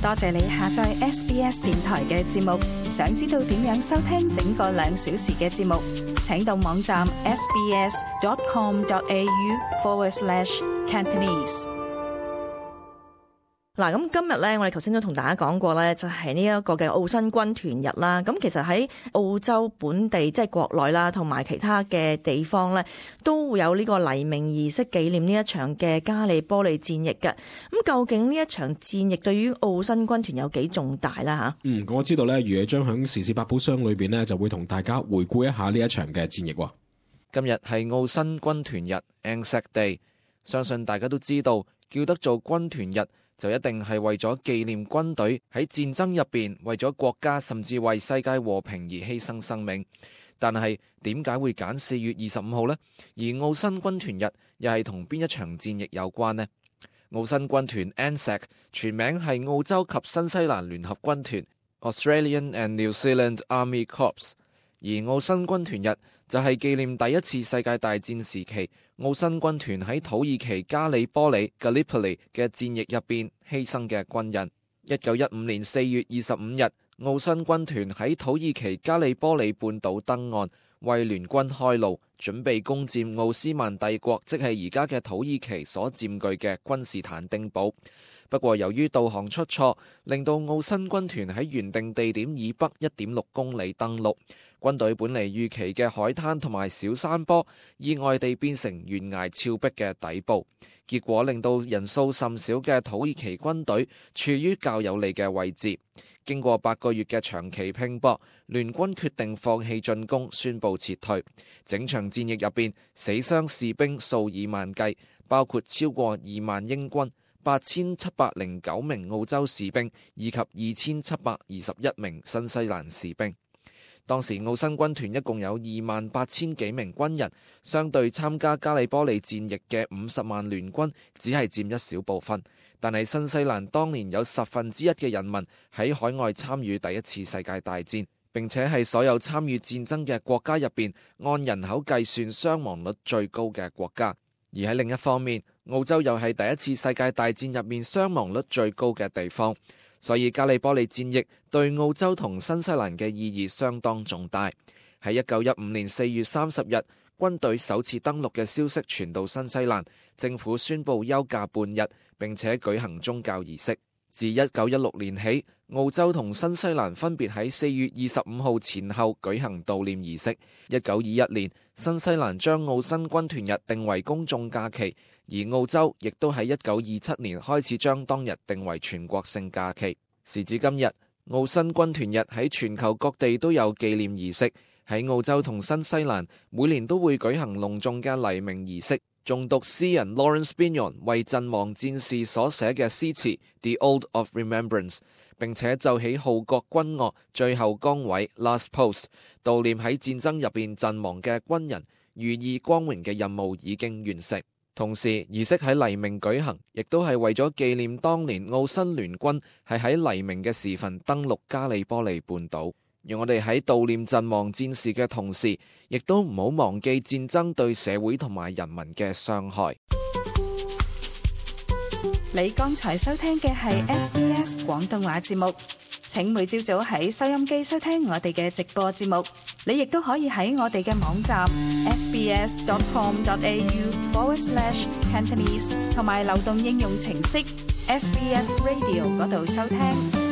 多謝你下載 SBS 電台嘅節目。想知道點樣收聽整個2小時嘅節目，請到網站 sbs.com.au/Cantonese。嗱，咁今日咧，我哋頭先都同大家講過咧，就係呢一個嘅澳新軍團日啦。咁其實喺澳洲本地，即係國內啦，同埋其他嘅地方咧，都會有呢個黎明儀式紀念呢一場嘅加利波利戰役嘅。咁究竟呢一場戰役對於澳新軍團有幾重大啦？吓，我知道咧，余野將響時事百寶箱裏邊咧，就會同大家回顧一下呢一場嘅戰役。今日係澳新軍團日 Anzac Day， 相信大家都知道，叫得做軍團日，就一定係為咗紀念軍隊喺戰爭入邊為咗國家甚至為世界和平而犧牲生命。但係點解會揀4月25號呢？而澳新軍團日又係同邊一場戰役有關呢？澳新軍團 ANZAC 全名係澳洲及新西蘭聯合軍團 Australian and New Zealand Army Corps， 而澳新軍團日就係紀念第一次世界大戰時期澳新軍團喺土耳其加里波里 Gallipoli 嘅戰役入邊犧牲嘅軍人。1915年4月25日，澳新軍團喺土耳其加里波里半島登岸，為聯軍開路，準備攻佔奧斯曼帝國，即係而家嘅土耳其所佔據嘅君士坦丁堡。不過由於導航出錯，令到澳新軍團喺原定地點以北 1.6 公里登陸。軍隊本嚟預期嘅海灘同埋小山坡，意外地變成懸崖峭壁嘅底部，結果令到人數甚少嘅土耳其軍隊處於較有利嘅位置。經過8個月嘅長期拼搏，聯軍決定放棄進攻，宣布撤退。整場戰役入邊，死傷士兵數以萬計，包括超過2萬英軍、8709名澳洲士兵以及2721名新西蘭士兵。當時澳新軍團一共有28000幾名軍人，相對參加加里波利戰役嘅50萬聯軍，只係佔一小部分。但係新西蘭當年有1/10嘅人民喺海外參與第一次世界大戰，並且係所有參與戰爭嘅國家入邊，按人口計算傷亡率最高嘅國家。而喺另一方面，澳洲又係第一次世界大戰入面傷亡率最高嘅地方。所以加里波利戰役對澳洲同新西蘭嘅意義相當重大。喺1915年4月30日，軍隊首次登陸嘅消息傳到新西蘭，政府宣布休假半日，並且舉行宗教儀式。自1916年起，澳洲同新西蘭分別喺4月25號前後舉行悼念儀式。1921年，新西蘭將澳新軍團日定為公眾假期，而澳洲亦都喺1927年開始將當日定為全國性假期。時至今日，澳新軍團日喺全球各地都有紀念儀式。喺澳洲同新西蘭，每年都會舉行隆重嘅黎明儀式，誦讀詩人 Lawrence Binion 為陣亡戰士所寫嘅詩詞 The Ode of Remembrance， 並且奏起號角軍樂最後崗位 Last Post， 悼念喺戰爭入邊陣亡嘅軍人，寓意光榮嘅任務已經完成。同時，儀式喺黎明舉行，亦都係為咗紀念當年澳新聯軍係喺黎明嘅時分登陸加里波利半島。讓我哋喺悼念陣亡戰士嘅同時，亦都唔好忘記戰爭對社會同埋人民嘅傷害。你剛才收聽嘅係 SBS 廣東話節目。請每朝早喺收音機收聽我哋嘅直播節目。你亦都可以喺我哋嘅網站 sbs.com.au/Cantonese 同埋流動應用程式 SBS Radio 嗰度收聽。